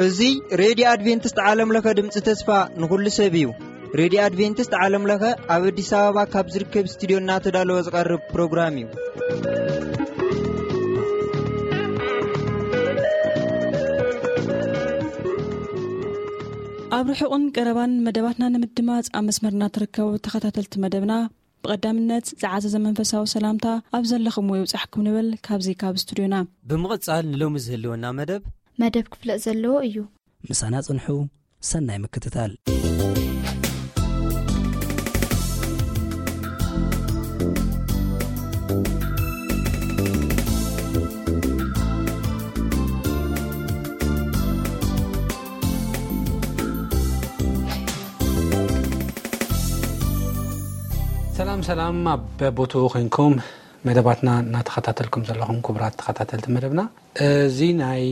እዚ ሬድዮ ኣድቬንቲስት ዓለም ለኸ ድምፂ ተስፋ ንኹሉ ሰብ እዩ። ሬድዮ ኣድቬንቲስት ዓለም ለኸ ኣብ ኣዲስ ኣበባ ካብ ዝርከብ ስቱዲዮ እናተዳለወ ዝቐርብ ፕሮግራም እዩ። ኣብ ርሑቕን ቀረባን መደባትና ንምድማፅ ኣብ መስመርና ትርከቡ ተኸታተልቲ መደብና፣ ብቐዳምነት ዝዓዘዘ መንፈሳዊ ሰላምታ ኣብ ዘለኹምዎ ይብጻሕኩም ንብል ካብዚ ካብ ስቱድዮና። ብምቕጻል ንሎሚ ዝህልወና መደብ መደብ ክፍለጥ ዘለዎ እዩ። ምሳና ጽንሑ። ሰናይ ምክትታል። ሰላም ሰላም፣ ኣብ በቦትኡ ኮይንኩም መደባትና እናተኸታተልኩም ዘለኹም ክቡራት ተኸታተልቲ መደብና፣ እዚ ናይ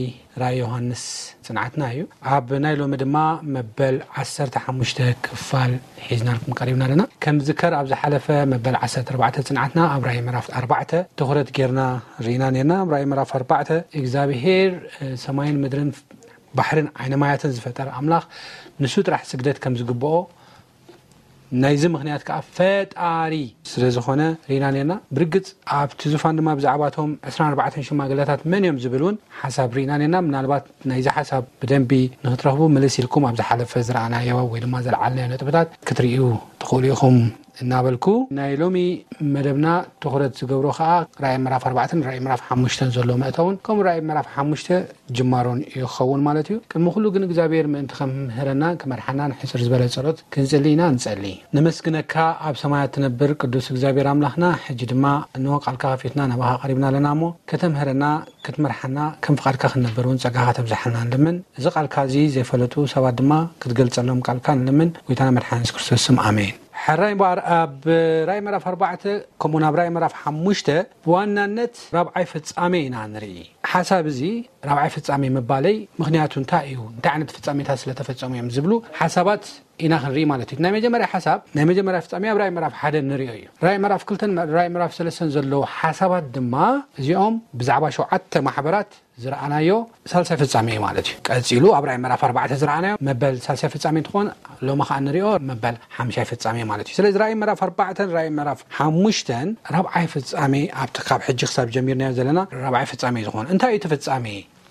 ራእይ ዮሃንስ ጽንዓትና እዩ። ኣብ ናይ ሎሚ ድማ መበል ዓሰርተ ሓሙሽተ ክፋል ሒዝናልኩም ቀሪብና ኣለና። ከም ዝከር ኣብ ዝሓለፈ መበል ዓሰርተ ኣርባዕተ ጽንዓትና ኣብ ራእይ ምዕራፍ ኣርባዕተ ትኹረት ጌርና ርኢና ነርና። ኣብ ራእይ ምዕራፍ ኣርባዕተ እግዚኣብሄር፣ እ፣ ሰማይን ምድርን ባሕርን ዓይነ ማያትን ዝፈጠረ ኣምላኽ ንሱ ጥራሕ ስግደት ከም ዝግብኦ፣ ናይዚ ምኽንያት ከኣ ፈጣሪ ስለ ዝኾነ ርኢና ነርና። ብርግጽ ኣብቲ ዙፋን ድማ ብዛዕባቶም ዕስራን ኣርባዕተን ሽማግለታት መን እዮም ዝብል እውን ሓሳብ ርኢና ነርና። ምናልባት ናይዚ ሓሳብ ብደንቢ ንክትረኽቡ ምልስ ኢልኩም ኣብ ዝሓለፈ ዝረኣናዮ ወይ ድማ ዘልዓልናዮ ነጥብታት ክትርእዩ ትኽእሉ ኢኹም እናበልኩ፣ ናይ ሎሚ መደብና ትኹረት ዝገብሮ ከኣ ራእይ ምዕራፍ ኣርባዕተን ራእይ ምዕራፍ ሓሙሽተን ዘሎ መእተውን ከምኡ ራእይ ምዕራፍ ሓሙሽተ ጅማሮን እዩ ክኸውን ማለት እዩ። ቅድሚ ኩሉ ግን እግዚኣብሔር ምእንቲ ከምህረናን ክመርሓናን ሕጽር ዝበለ ጸሎት ክንጽሊ ኢና። ንጸሊ። ነመስግነካ ኣብ ሰማያት ትነብር ቅዱስ እግዚኣብሔር ኣምላኽና፣ ሕጂ ድማ እንሆ ቃልካ ከፊትና ናባኻ ቀሪብና ኣለና እሞ፣ ከተምህረና፣ ክትመርሓና፣ ከም ፍቓድካ ክንነብር እውን ጸጋኻ ተብዝሓልና ንልምን። እዚ ቃልካ እዚ ዘይፈለጡ ሰባት ድማ ክትገልጸሎም ቃልካ ንልምን። ጎይታና መድሓኒ የሱስ ክርስቶስ ስም፣ ኣሜን። ሕራይ እምበኣር ኣብ ራእይ ምዕራፍ ኣርባዕተ ከምኡ ናብ ራእይ ምዕራፍ ሓሙሽተ ብዋናነት ራብዓይ ፍጻሜ ኢና ንርኢ። ሓሳብ እዚ ራብዓይ ፍጻሜ ምባለይ ምኽንያቱ እንታይ እዩ? እንታይ ዓይነት ፍጻሜታት ስለተፈጸሙ እዮም ዝብሉ ሓሳባት ኢና ክንርኢ ማለት እዩ። ናይ መጀመርያ ሓሳብ፣ ናይ መጀመርያ ፍጻሜ ኣብ ራእይ ምዕራፍ ሓደ ንርእዮ እዩ። ራእይ ምዕራፍ ክልተን ራእይ ምዕራፍ ሰለስተን ዘለዉ ሓሳባት ድማ እዚኦም ብዛዕባ ሸውዓተ ማሕበራት ዝረኣናዮ ሳልሳይ ፍጻሜ እዩ ማለት እዩ። ቀጺሉ ኣብ ራእይ ምዕራፍ ኣርባዕተ ዝረኣናዮ መበል ሳልሳይ ፍጻሜ እንትኾን፣ ሎሚ ኸኣ ንሪኦ መበል ሓምሻይ ፍጻሜ ማለት እዩ። ስለዚ ራእይ ምዕራፍ ኣርባዕተን ራእይ ምዕራፍ ሓሙሽተን ራብዓይ ፍጻሜ፣ ኣብቲ ካብ ሕጂ ክሳብ ጀሚርናዮ ዘለና ራብዓይ ፍጻሜ እዩ ዝኾን። እንታይ እዩ እቲ ፍጻሜ?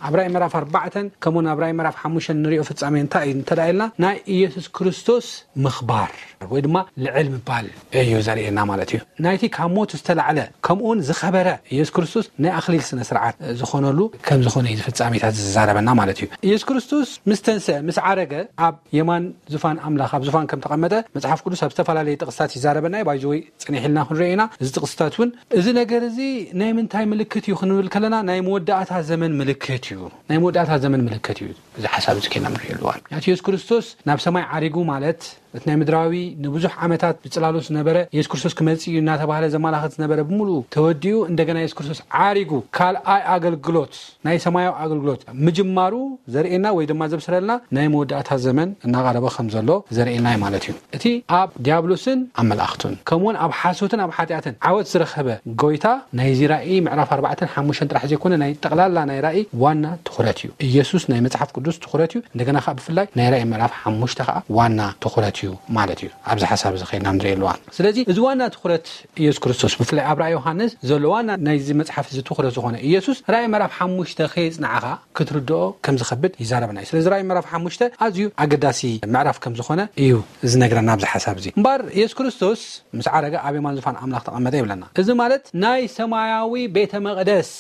ኣብ ራእይ ምዕራፍ ኣርባዕተን ከምኡ ናብ ራእይ ምዕራፍ ሓሙሽተን ንሪኦ ፍጻሜ እንታይ እዩ እንተ ደኣ ኢልና፣ ናይ ኢየሱስ ክርስቶስ ምኽባር ወይ ድማ ልዕል ምባል እዩ ዘርእየና ማለት እዩ። ናይቲ ካብ ሞት ዝተላዕለ ከምኡውን ዝኸበረ ኢየሱስ ክርስቶስ ናይ ኣኽሊል ስነ ስርዓት ዝኾነሉ ከም ዝኾነ እዩ እዚ ፍጻሜታት ዝዛረበና ማለት እዩ። ኢየሱስ ክርስቶስ ምስ ተንስአ፣ ምስ ዓረገ፣ ኣብ የማን ዙፋን ኣምላኽ፣ ኣብ ዙፋን ከም ተቐመጠ መጽሓፍ ቅዱስ ኣብ ዝተፈላለዩ ጥቕስታት ይዛረበና እዩ። ባይዘወይ ጽኒሕ ኢልና ክንሪኦ ኢና። እዚ ጥቕስታት እውን እዚ ነገር እዚ ናይ ምንታይ ምልክት እዩ ክንብል ከለና፣ ናይ መወዳእታ ዘመን ምልክት እዩ። ናይ መወዳእታ ዘመን ምልክት እዩ። እዚ ሓሳብ እዚ ኬና ንሪኦ ኣለዋን። ምክንያቱ ኢየሱስ ክርስቶስ ናብ ሰማይ ዓሪጉ ማለት፣ እቲ ናይ ምድራዊ ንብዙሕ ዓመታት ብጽላሎት ዝነበረ ኢየሱስ ክርስቶስ ክመጽእ እዩ እናተባህለ ዘመላኽት ዝነበረ ብምሉኡ ተወዲኡ፣ እንደገና ኢየሱስ ክርስቶስ ዓሪጉ ካልኣይ ኣገልግሎት፣ ናይ ሰማያዊ ኣገልግሎት ምጅማሩ ዘርእየና ወይ ድማ ዘብስረልና ናይ መወዳእታ ዘመን እናቐረበ ከም ዘሎ ዘርእየና እዩ ማለት እዩ። እቲ ኣብ ዲያብሎስን ኣብ መላእኽቱን ከምኡውን ኣብ ሓሶትን ኣብ ሓጢኣትን ዓወት ዝረኸበ ጎይታ ናይዚ ራእይ ምዕራፍ ኣርባዕተን ሓሙሽተን ጥራሕ ዘይኮነ ናይ ጠቕላላ ናይ ራእይ ዋና ትኹረት እዩ። ኢየሱስ ናይ መጽሓፍ ቅዱስ ትኹረት እዩ። እንደገና ከኣ ብፍላይ ናይ ራእይ ምዕራፍ ሓሙሽተ ከኣ ዋና ትኹረት እዩ ማለት እዩ። ኣብዚ ሓሳብ እዚ ከይድና ንርኢ ኣለዋን። ስለዚ እዚ ዋና ትኹረት ኢየሱስ ክርስቶስ ብፍላይ ኣብ ራእይ ዮሃንስ ዘሎ ዋና ናይዚ መጽሓፍ እዚ ትኹረት ዝኾነ ኢየሱስ ራእይ ምዕራፍ ሓሙሽተ ከየጽንዓኻ ክትርድኦ ከም ዝኸብድ ይዛረበና እዩ። ስለዚ ራእይ ምዕራፍ ሓሙሽተ ኣዝዩ ኣገዳሲ ምዕራፍ ከም ዝኾነ እዩ ዝነግረና ኣብዚ ሓሳብ እዚ። እምበኣር ኢየሱስ ክርስቶስ ምስ ዓረገ ኣብ የማን ዙፋን ኣምላኽ ተቐመጠ ይብለና። እዚ ማለት ናይ ሰማያዊ ቤተ መቕደስ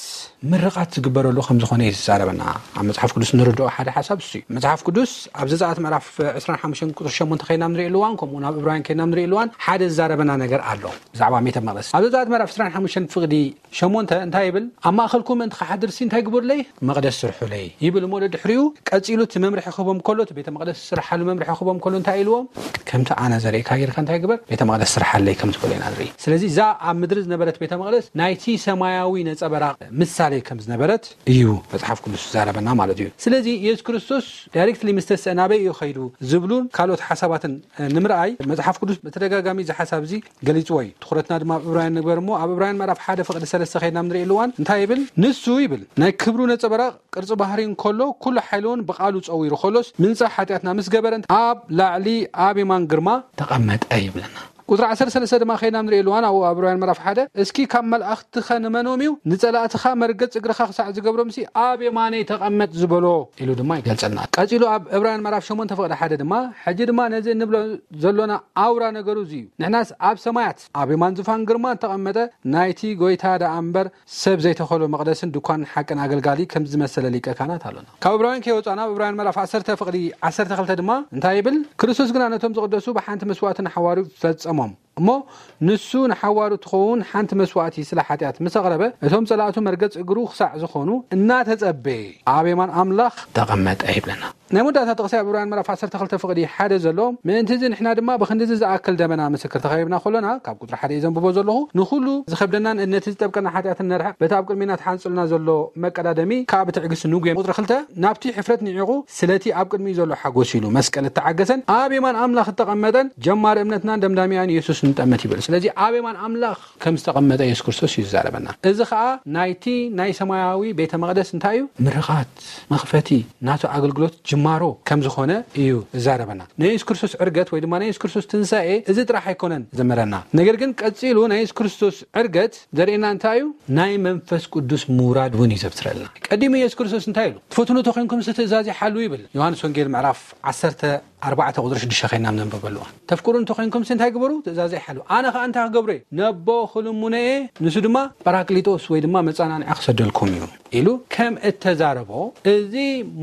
ምርቓት ዝግበረሉ ከም ዝኾነ እዩ ዝዛረበና። ኣብ መጽሓፍ ቅዱስ ንርድኦ ሓደ ሓሳብ እሱ እዩ። መጽሓፍ ቅዱስ ኣብ ዘጸኣት ምዕራፍ ዕስራን ሓሙሽተን ቁጽሪ ሸሞንተ ከይና ንርኢ ኣለዋን፣ ከምኡ ናብ ዕብራውያን ከይና ንርኢ ኣለዋን ሓደ ዝዛረበና ነገር ኣሎ ብዛዕባ ቤተ መቕደስ። ኣብ ዘጸኣት ምዕራፍ ዕስራን ሓሙሽተን ፍቕዲ ሸሞንተ እንታይ ይብል? ኣብ ማእኸልኩም ምእንቲ ክሓድርሲ እንታይ ግበሩለይ? መቕደስ ስርሑለይ ይብል እሞ፣ ደድሕሪኡ ቀጺሉ እቲ መምርሒ ክህቦም ከሎ፣ እቲ ቤተ መቕደስ ዝስርሓሉ መምርሒ ክህቦም ከሎ እንታይ ኢልዎም? ከምቲ ኣነ ዘርእካ ጌርካ እንታይ ግበር? ቤተ መቕደስ ስርሓለይ ከም ዝበሎ ኢና ንርኢ። ስለዚ እዛ ኣብ ምድሪ ዝነበረት ቤተ መቕደስ ናይቲ ሰማያዊ ነጸበራቕ ምሳሌ ከም ዝነበረት እዩ መጽሓፍ ቅዱስ ዝዛረበና ማለት እዩ። ስለዚ ኢየሱስ ክርስቶስ ዳይሬክትሊ ምስ ተስአ ናበይ እዩ ከይዱ ዝብሉን ካልኦት ሓሳባትን ንምርኣይ መጽሓፍ ቅዱስ ብተደጋጋሚ እዚ ሓሳብ እዚ ገሊጽዎ እዩ። ትኹረትና ድማ ኣብ ዕብራውያን ንግበር እሞ ኣብ ዕብራውያን ምዕራፍ ሓደ ፍቕዲ ሰለስተ ከይድና ንርእየሉ እዋን እንታይ ይብል? ንሱ ይብል ናይ ክብሩ ነጸበራቕ ቅርጺ ባህሪ እንከሎ ኩሉ ሓይሊ እውን ብቓሉ ጸዊሩ ከሎስ ምንጻሕ ሓጢኣትና ምስ ገበረ ኣብ ላዕሊ ኣብ የማን ግርማ ተቐመጠ ይብለና። ቁጽሪ ዓሰርተ ሰለስተ ድማ ከይድና ንርእየሉ እዋን ኣብኡ ኣብ ዕብራውያን ምዕራፍ ሓደ እስኪ ካብ መላእኽትኸ ንመኖም እዩ ንጸላእትኻ መርገጽ እግርኻ ክሳዕ ዝገብሮምሲ ኣብ የማነይ ተቐመጥ ዝበሎ ኢሉ ድማ ይገልጸልና። ቀጺሉ ኣብ ዕብራውያን ምዕራፍ ሸሞንተ ፍቕዲ ሓደ ድማ ሕጂ ድማ ነዚ እንብሎ ዘሎና ኣውራ ነገሩ እዚ እዩ። ንሕናስ ኣብ ሰማያት ኣብ የማን ዙፋን ግርማ እተቐመጠ ናይቲ ጎይታ ደኣ እምበር ሰብ ዘይተኸሎ መቕደስን ድኳንን ሓቅን ኣገልጋሊ ከም ዝመሰለ ሊቀ ካህናት ኣሎና። ካብ ዕብራውያን ከይወጻና ኣብ ዕብራውያን ምዕራፍ ዓሰርተ ፍቕዲ ዓሰርተ ክልተ ድማ እንታይ ይብል? ክርስቶስ ግና ነቶም ዝቕደሱ ብሓንቲ መስዋእቲ ንሓዋሩ ፈጸሞም። እሞ ንሱ ንሓዋሩ ትኸውን ሓንቲ መስዋእቲ ስለ ሓጢኣት ምስ ኣቕረበ እቶም ጸላእቱ መርገጽ እግሩ ክሳዕ ዝኾኑ እናተጸበየ ኣብ የማን ኣምላኽ ተቐመጠ ይብለና። ናይ መወዳእታ ጥቕሲ ኣብ ዕብራውያን ምዕራፍ ዓሰርተ ክልተ ፍቕዲ ሓደ ዘሎ ምእንቲ እዚ ንሕና ድማ ብክንድዚ ዝኣክል ደበና ምስክር ተኸቢብና ከሎና ካብ ቁጽሪ ሓደ እየ ዘንብቦ ዘለኹ ንኹሉ ዝኸብደናን ነቲ ዝጠብቀና ሓጢኣትን ነርሕቕ በቲ ኣብ ቅድሚና ተሓንጽልና ዘሎ መቀዳደሚ ካብ ትዕግስቲ ንጉየ። ቁጽሪ ክልተ ናብቲ ሕፍረት ንዒቑ ስለቲ ኣብ ቅድሚኡ ዘሎ ሓጎስ ኢሉ መስቀል እተዓገሰን ኣብ የማን ኣምላኽ እተቐመጠን ጀማሪ እምነትናን ደምዳሚኣን ኢየሱስ ንጠመት ይብል። ስለዚ ኣብ የማን ኣምላኽ ከም ዝተቐመጠ የሱስ ክርስቶስ እዩ ዝዛረበና። እዚ ኸኣ ናይቲ ናይ ሰማያዊ ቤተ መቕደስ እንታይ እዩ? ምርቓት፣ መኽፈቲ፣ ናቱ ኣገልግሎት ጅማሮ ከም ዝኾነ እዩ ዝዛረበና። ናይ የሱስ ክርስቶስ ዕርገት ወይ ድማ ናይ የሱስ ክርስቶስ ትንሳኤ እዚ ጥራሕ ኣይኮነን ዘመረና። ነገር ግን ቀጺሉ ናይ የሱስ ክርስቶስ ዕርገት ዘርእየና እንታይ እዩ? ናይ መንፈስ ቅዱስ ምውራድ እውን እዩ ዘብስረልና። ቀዲሙ የሱስ ክርስቶስ እንታይ ኢሉ? ትፈትኑ ተኾይንኩም ትእዛዝ ይሓሉ ይብል። ዮሃንስ ወንጌል ምዕራፍ ዓሰርተ ኣርባዕተ ቁጽሪ ሽዱሽተ ኸይና ነንበበሉ። ተፍቅሩ እንተኾይንኩም እንታይ ግበሩ? ትእዛዝ ይሓሉ። ኣነ ኸኣ እንታይ ክገብሩ እየ? ነቦ ክልምኖ እየ፣ ንሱ ድማ ጳራቅሊጦስ ወይ ድማ መጻናንዒ ክሰደልኩም እዩ ኢሉ ከም እተዛረቦ፣ እዚ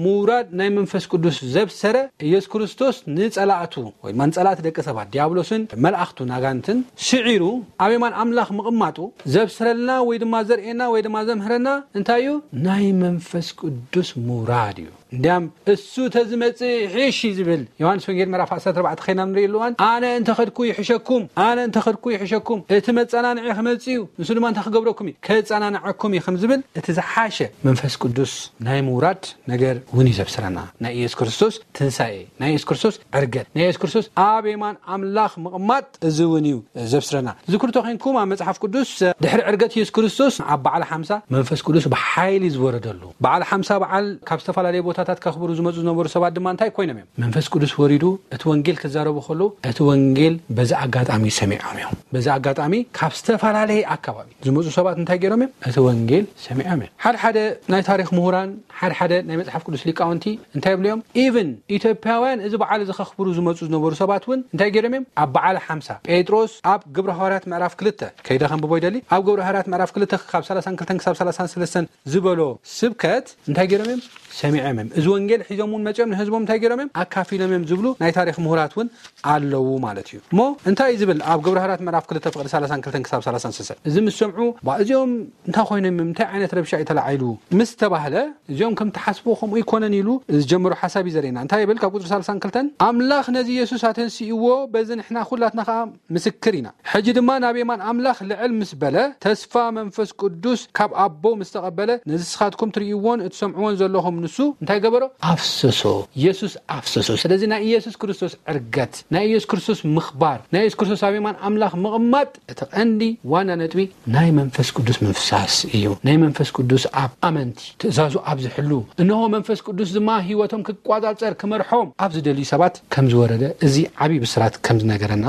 ምውራድ ናይ መንፈስ ቅዱስ ዘብሰረ ኢየሱስ ክርስቶስ ንጸላእቱ ወይ ድማ ንጸላእቲ ደቂ ሰባት ዲያብሎስን መላእኽቱን ኣጋንንትን ስዒሩ ኣብ የማን ኣምላኽ ምቕማጡ ዘብስረልና ወይ ድማ ዘርእየና ወይ ድማ ዘምህረና እንታይ እዩ? ናይ መንፈስ ቅዱስ ምውራድ እዩ። እንዲያም እሱ ተዝመጽእ ይሕሽ እዩ ዝብል። ዮሃንስ ወንጌል ምዕራፍ ዓሰርተ ኣርባዕተ ኸይና ንርእየሉ እዋን ኣነ እንተኸድኩ ይሕሸኩም፣ ኣነ እንተኸድኩ ይሕሸኩም፣ እቲ መጸናንዒ ክመጽእ እዩ፣ ንሱ ድማ እንታይ ክገብረኩም እዩ? ከጸናንዐኩም እዩ ከም ዝብል እቲ ዝሓሸ መንፈስ ቅዱስ ናይ ምውራድ ነገር እውን እዩ ዘብስረና። ናይ ኢየሱስ ክርስቶስ ትንሳኤ፣ ናይ ኢየሱስ ክርስቶስ ዕርገት፣ ናይ ኢየሱስ ክርስቶስ ኣብ የማን ኣምላኽ ምቕማጥ እዚ እውን እዩ ዘብስረና። ዝክርቶ ኮንኩም ኣብ መጽሓፍ ቅዱስ ድሕሪ ዕርገት ኢየሱስ ክርስቶስ ኣብ በዓል ሓምሳ መንፈስ ቅዱስ ብሓይሊ ዝወረደሉ በዓል ሓምሳ በዓል ካብ ዝተፈላለዩ ቦታታት ከኽብሩ ዝመፁ ዝነበሩ ሰባት ድማ እንታይ ኮይኖም እዮም? መንፈስ ቅዱስ ወሪዱ እቲ ወንጌል ክዛረቡ ከለዉ እቲ ወንጌል በዚ ኣጋጣሚ ሰሚዖም እዮም። በዚ ኣጋጣሚ ካብ ዝተፈላለየ ኣካባቢ ዝመፁ ሰባት እንታይ ገይሮም እዮም? እቲ ወንጌል ሰሚዖም እዮም። ሓደ ሓደ ናይ ታሪክ ምሁራን፣ ሓደ ሓደ ናይ መፅሓፍ ቅዱስ ሊቃውንቲ እንታይ ይብሉ እዮም? ኢቭን ኢትዮጵያውያን እዚ በዓል እዚ ከኽብሩ ዝመፁ ዝነበሩ ሰባት እውን እንታይ ገይሮም እዮም? ኣብ በዓል ሓምሳ ጴጥሮስ ኣብ ግብረ ሃዋርያት ምዕራፍ ክልተ ከይደ ከንብቦ ይደሊ። ኣብ ግብረ ሃዋርያት ምዕራፍ ክልተ ካብ ሰላሳን ክልተን ክሳብ ሰላሳን ሰለስተን ዝበሎ ስብከት እንታይ ገይሮም እዮም? ሰሚዖም እዮም። እዚ ወንጌል ሒዞም እውን መፂኦም ንህዝቦም እንታይ ገይሮም እዮም? ኣካፊሎም እዮም ዝብሉ ናይ ታሪክ ምሁራት እውን ኣለዉ ማለት እዩ። እሞ እንታይ እዩ ዝብል ኣብ ግብረ ሃዋርያት ምዕራፍ ክልተ ፍቕዲ ሰላሳን ክልተን ክሳብ ሰላሳን ሰለስተን? እዚ ምስ ሰምዑ፣ "ባ፣ እዚኦም እንታይ ኮይኖም እዮም? እንታይ ዓይነት ረብሻ እዩ ተላዒሉ?" ምስ ተባህለ፣ "እዚኦም ከም ትሓስብዎ ከምኡ ይኮነን" ኢሉ ዝጀመሮ ሓሳብ እዩ ዘርእየና። እንታይ ይብል? ካብ ቁፅሪ ሰላሳን ክልተን፣ "ኣምላኽ ነዚ ኢየሱስ ኣተንሲእዎ፣ በዚ ንሕና ኩላትና ከዓ ምስክር ኢና። ሕጂ ድማ ናብ የማን ኣምላኽ ልዕል ምስ በለ፣ ተስፋ መንፈስ ቅዱስ ካብ ኣቦ ምስ ተቐበለ፣ ነዚ ንስኻትኩም ትርእይዎን እትሰምዕዎን ዘለኹም ንሱ እንታይ ገበሮ? ኣፍሰሶ። ኢየሱስ ኣፍሰሶ። ስለዚ ናይ ኢየሱስ ክርስቶስ ዕርገት፣ ናይ ኢየሱስ ክርስቶስ ምኽባር፣ ናይ ኢየሱስ ክርስቶስ ኣብ የማን ኣምላኽ ምቕማጥ እቲ ቀንዲ ዋና ነጥቢ ናይ መንፈስ ቅዱስ ምፍሳስ እዩ። ናይ መንፈስ ቅዱስ ኣብ ኣመንቲ፣ ትእዛዙ ኣብ ዝሕሉ፣ እንሆ መንፈስ ቅዱስ ድማ ህይወቶም ክቋጻጸር፣ ክመርሖም ኣብ ዝደልዩ ሰባት ከም ዝወረደ እዚ ዓብዪ ብስራት ከም ዝነገረና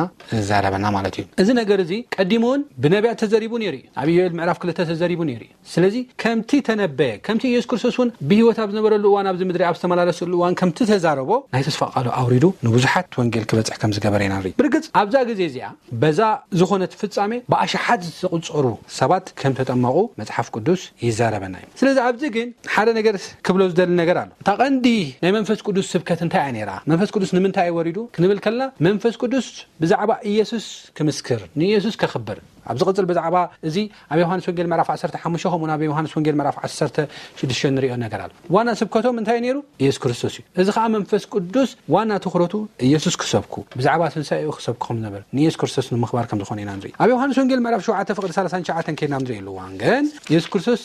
ዘራረበና ማለት እዩ። እዚ ነገር እዚ ቀዲሙ እውን ብነቢያት ተዘሪቡ ነይሩ እዩ። ኣብ ኢዮኤል ምዕራፍ ክልተ ተዘሪቡ ነይሩ እዩ። ስለዚ ከምቲ ተነበየ፣ ከምቲ ኢየሱስ ክርስቶስ እውን ብህይወት ኣብ ዝነበረሉ እዋን፣ ኣብዚ ምድሪ ኣብ ዝተመላለሰሉ እዋን ከምቲ ተዛረቦ፣ ናይ ተስፋ ቃሉ ኣውሪዱ ንብዙሓት ወንጌል ክበጽሕ ከም ዝገበረ ኢና ንርኢ። ብርግጽ ኣብዛ ግዜ እዚኣ በዛ ዝኾነት ፍጻሜ ብኣሽሓት ዝቑጸሩ ሰባት ከም ተጠመቑ መጽሓፍ ቅዱስ ይዛረበና እዩ። ስለዚ ኣብዚ ግን ሓደ ነገር ክብሎ ዝደሊ ነገር ኣሎ። እታ ቀንዲ ናይ መንፈስ ቅዱስ ስብከት እንታይ እያ ነይራ? መንፈስ ቅዱስ ንምንታይ እዩ ወሪዱ ክንብል ከለና፣ መንፈስ ቅዱስ ብዛዕባ ኢየሱስ ክምስክር፣ ንኢየሱስ ከኽብር፣ ኣብ ዝቕጽል ብዛዕባ እዚ ኣብ ዮሃንስ ወንጌል ምዕራፍ ዓሰርተ ሓሙሽተ ከምኡ ኣብ ዮሃንስ ወንጌል ምዕራፍ ዓሰርተ ሽዱሽተ ንሪኦ ነገር ኣሎ። ዋና ስብከቶም እንታይ ነይሩ? ኢየሱስ ክርስቶስ እዩ። እዚ ከዓ መንፈስ ቅዱስ ዋና ትኹረቱ ኢየሱስ ክሰብኩ፣ ብዛዕባ ትንሳኤኡ ክሰብኩ ከም ዝነበረ፣ ንኢየሱስ ክርስቶስ ንምኽባር ከም ዝኾነ ኢና ንርኢ። ኣብ ዮሃንስ ወንጌል ምዕራፍ ሸውዓተ ፍቕዲ ሰላሳን ትሽዓተን ከይድና ንርኢ ኣለዋን ግን ኢየሱስ ክርስቶስ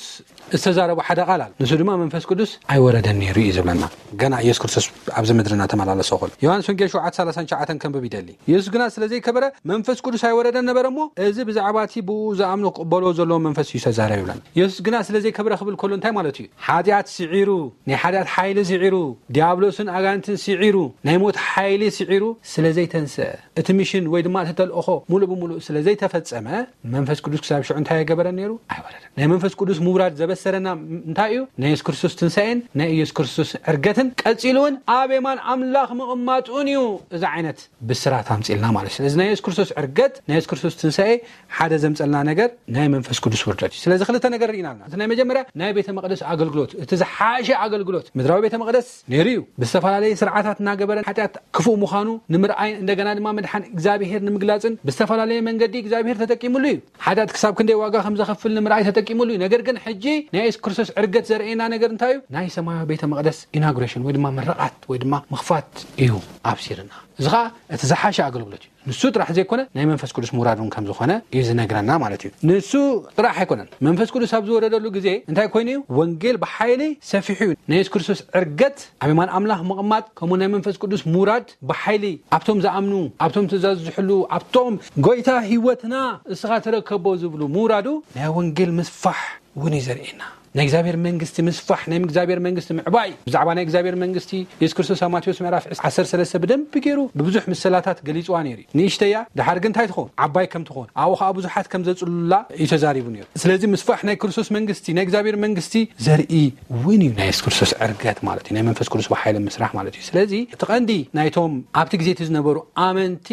ዝተዛረቡ ሓደ ቃል ኣሎ። ንሱ ድማ መንፈስ ቅዱስ ኣይወረደን ነይሩ እዩ ዝብለና። ገና ኢየሱስ ክርስቶስ ኣብዚ ምድሪ እናተመላለሰ ከሎ ዮሃንስ ወንጌል ሸውዓተ ሰላሳን ትሽዓተን ከንብብ ይደሊ። ኢየሱስ ግና ስለ ዘይከበረ መንፈስ ቅዱስ ኣይወረደን ነበረ እሞ እዚ ብዛዕባ እቲ ብኡ ዝኣምኑ ክቕበልዎ ዘለዎም መንፈስ እዩ ዝተዛረበ ይብለና። ኢየሱስ ግና ስለ ዘይከበረ ክብል ከሎ እንታይ ማለት እዩ? ሓጢኣት ስዒሩ፣ ናይ ሓጢኣት ሓይሊ ስዒሩ፣ ዲያብሎስን ኣጋንንትን ስዒሩ፣ ናይ ሞት ሓይሊ ስዒሩ ስለ ዘይተንስአ፣ እቲ ሚሽን ወይ ድማ እቲ ተልእኾ ሙሉእ ብሙሉእ ስለ ዘይተፈጸመ መንፈስ ቅዱስ ክሳብ ሽዑ እንታይ ኣይገበረን ነይሩ? ኣይወረደን። ናይ መንፈስ ቅዱስ ምውራድ ዘበሰረና እንታይ እዩ? ናይ የሱስ ክርስቶስ ትንሳኤን ናይ ኢየሱስ ክርስቶስ ዕርገትን ቀጺሉ እውን ኣብ የማን ኣምላኽ ምቕማጡን እዩ። እዚ ዓይነት ብስራት ኣምጺልና ማለት እዩ። ስለዚ ናይ የሱስ ክርስቶስ ዕርገት፣ ናይ የሱስ ክርስቶስ ትንሳኤ ሓደ ዘምጸልና ነገር ናይ መንፈስ ቅዱስ ውርደት እዩ። ስለዚ ክልተ ነገር ርኢና ኣለና። እቲ ናይ መጀመርያ ናይ ቤተ መቕደስ ኣገልግሎት፣ እቲ ዝሓሸ ኣገልግሎት ምድራዊ ቤተ መቕደስ ነይሩ እዩ። ብዝተፈላለየ ስርዓታት እናገበረ ሓጢኣት ክፉእ ምዃኑ ንምርኣይ፣ እንደገና ድማ ምድሓን እግዚኣብሔር ንምግላጽን ብዝተፈላለየ መንገዲ እግዚኣብሔር ተጠቂሙሉ እዩ። ሓጢኣት ክሳብ ክንደይ ዋጋ ከም ዘኸፍል ንምርኣይ ተጠቂሙሉ እዩ። ነገር ግን ሕጂ ናይ የሱስ ክርስቶስ ዕርገት ዘርእየና ነገር እንታይ እዩ? ናይ ሰማያዊ ቤተ መቕደስ ኢናጉሬሽን ወይ ድማ ምርቓት ወይ ድማ ምኽፋት እዩ ኣብሲርና። እዚ ኸዓ እቲ ዝሓሸ ኣገልግሎት እዩ። ንሱ ጥራሕ ዘይኮነ ናይ መንፈስ ቅዱስ ምውራድ እውን ከም ዝኾነ እዩ ዝነግረና ማለት እዩ። ንሱ ጥራሕ ኣይኮነን። መንፈስ ቅዱስ ኣብ ዝወረደሉ ግዜ እንታይ ኮይኑ እዩ? ወንጌል ብሓይሊ ሰፊሑ እዩ። ናይ የሱስ ክርስቶስ ዕርገት፣ ኣብ የማን ኣምላኽ ምቕማጥ፣ ከምኡ ናይ መንፈስ ቅዱስ ምውራድ ብሓይሊ ኣብቶም ዝኣምኑ፣ ኣብቶም ትእዛዝ ዝሕሉ፣ ኣብቶም ጎይታ ህይወትና እስኻ ተረከቦ ዝብሉ ምውራዱ ናይ ወንጌል ምስፋሕ እውን እዩ ዘርእየና። ናይ እግዚኣብሔር መንግስቲ ምስፋሕ፣ ናይ እግዚኣብሔር መንግስቲ ምዕባይ። ብዛዕባ ናይ እግዚኣብሔር መንግስቲ የሱስ ክርስቶስ ኣብ ማቴዎስ ምዕራፍ ዓሰርተ ሰለስተ ብደንቢ ገይሩ ብብዙሕ ምስላታት ገሊጽዋ ነይሩ እዩ። ንእሽተያ ድሓር ግን እንታይ ትኸውን? ዓባይ ከም ትኸውን፣ ኣብኡ ኸዓ ብዙሓት ከም ዘጽልሉላ እዩ ተዛሪቡ ነይሩ። ስለዚ ምስፋሕ ናይ ክርስቶስ መንግስቲ፣ ናይ እግዚኣብሔር መንግስቲ ዘርኢ እውን እዩ ናይ የሱስ ክርስቶስ ዕርገት ማለት እዩ። ናይ መንፈስ ቅዱስ ብሓይሊ ምስራሕ ማለት እዩ። ስለዚ እቲ ቀንዲ ናይቶም ኣብቲ ግዜ እቲ ዝነበሩ ኣመንቲ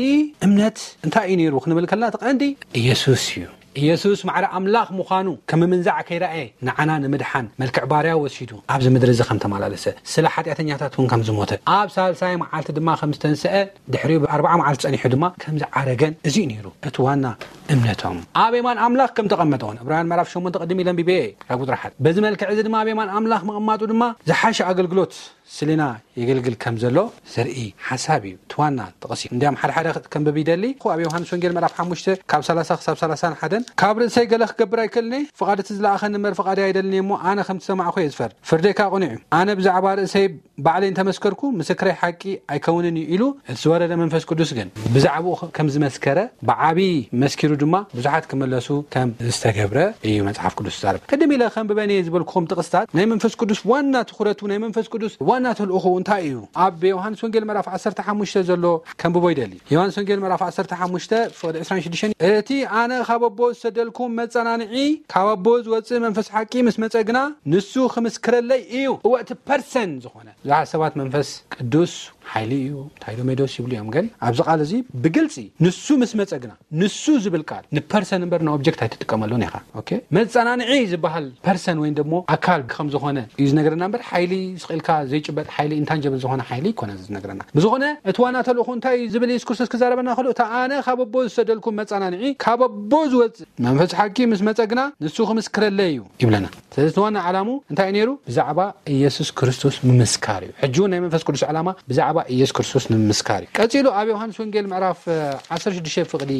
እምነት እንታይ እዩ ነይሩ ክንብል ከለና እቲ ቀንዲ ኢየሱስ እዩ። ኢየሱስ ማዕረ ኣምላኽ ምዃኑ ከም ምምንዛዕ ከይረኣየ ንዓና ንምድሓን መልክዕ ባርያ ወሲዱ ኣብዚ ምድሪ እዚ ከም ተመላለሰ፣ ስለ ሓጢኣተኛታት እውን ከም ዝሞተ፣ ኣብ ሳልሳይ መዓልቲ ድማ ከም ዝተንስአ፣ ድሕሪኡ ብኣርብዓ መዓልቲ ጸኒሑ ድማ ከም ዝዓረገን እዚ እዩ ነይሩ እቲ ዋና እምነቶም። ኣብ የማን ኣምላኽ ከም ተቐመጠ እውን ዕብራውያን ምዕራፍ ሸሞንተ ቅድም ኢለ ኣንቢበ እየ ካብ ቁጽሪ ሓደ። በዚ መልክዕ እዚ ድማ ኣብ የማን ኣምላኽ ምቕማጡ ድማ ዝሓሸ ኣገልግሎት ስሊና የገልግል ከም ዘሎ ዘርኢ ሓሳብ እዩ። እቲ ዋና ጥቕሲ እንዲያም ሓደ ሓደ ከንብብ ይደሊ። ኣብ ዮሃንስ ወንጌል ምዕራፍ ሓሙሽተ ካብ ሰላሳ ክሳብ ሰላሳን ሓደን ካብ ርእሰይ ገለ ክገብር ኣይክእልን እየ፣ ፍቓድ እቲ ዝለኣኸኒ እምበር ፍቓደይ ኣይደልን እየ እሞ ኣነ ከምቲ ሰማዕኹ እየ ዝፈርድ፣ ፍርደይ ከኣ ቅኑዕ እዩ። ኣነ ብዛዕባ ርእሰይ ባዕለይ እንተመስከርኩ ምስክረይ ሓቂ ኣይከውንን እዩ ኢሉ እቲ ዝወረደ መንፈስ ቅዱስ ግን ብዛዕባኡ ከም ዝመስከረ ብዓቢ መስኪሩ ድማ ብዙሓት ክምለሱ ከም ዝተገብረ እዩ መጽሓፍ ቅዱስ ዝዛረብ። ቅድም ኢለ ከንብበን እየ ዝበልኩኹም ጥቕስታት ናይ መንፈስ ቅዱስ ዋና ትኹረቱ፣ ናይ መንፈስ ቅዱስ ዋና ተልእኾ እንታይ እዩ? ኣብ ዮሃንስ ወንጌል ምዕራፍ ዓሰርተ ሓሙሽተ ዘሎ ከንብቦ ይደሊ። ዮሃንስ ወንጌል ምዕራፍ ዓሰርተ ሓሙሽተ ፍቕዲ ዕስራን ሽዱሽተን፣ እቲ ኣነ ካብ ኣቦ ዝሰደልኩም መጸናንዒ ካብ ኣቦ ዝወጽእ መንፈስ ሓቂ ምስ መጸ ግና ንሱ ክምስክረለይ እዩ። እወ እቲ ፐርሰን ዝኾነ ብዙሓት ሰባት መንፈስ ቅዱስ ሓይሊ እዩ፣ እንታይ ዶ ሜዶስ ይብሉ እዮም። ግን ኣብዚ ቃል እዚ ብግልጺ ንሱ ምስ መጸ ግና፣ ንሱ ዝብል ቃል ንፐርሰን እምበር ንኦብጀክት ኣይትጥቀመሉን ኢኻ። ኦኬ፣ መጸናንዒ ዝበሃል ፐርሰን ወይ ደሞ ኣካል ከም ዝኾነ እዩ ዝነግረና እምበር ሓይሊ ስቕ ኢልካ ዘይጭበጥ ሓይሊ፣ ኢንታንጀብል ዝኾነ ሓይሊ ኣይኮነን ዝነግረና። ብዝኾነ እቲ ዋና ተልእኾ እንታይ እዩ ዝብል የሱስ ክርስቶስ ክዛረበና ከሎ፣ እቲ ኣነ ካብ ኣቦ ዝሰደልኩም መጸናንዒ ካብ ኣቦ ዝወጽእ መንፈስ ሓቂ ምስ መጸ ግና ንሱ ክምስክረለይ እዩ ይብለና። ስለዚ እቲ ዋና ዓላሙ እንታይ እዩ ነይሩ? ብዛዕባ ኢየሱስ ክርስቶስ ምምስካር እዩ። ሕጂ እውን ናይ መንፈስ ቅዱስ ዓላማ ብዛዕባ ኢየሱስ ክርስቶስ ንምምስካር እዩ። ቀጺሉ ኣብ ዮሃንስ ወንጌል ምዕራፍ እ፣ ዓሰርተ ሽዱሽተ ፍቕዲ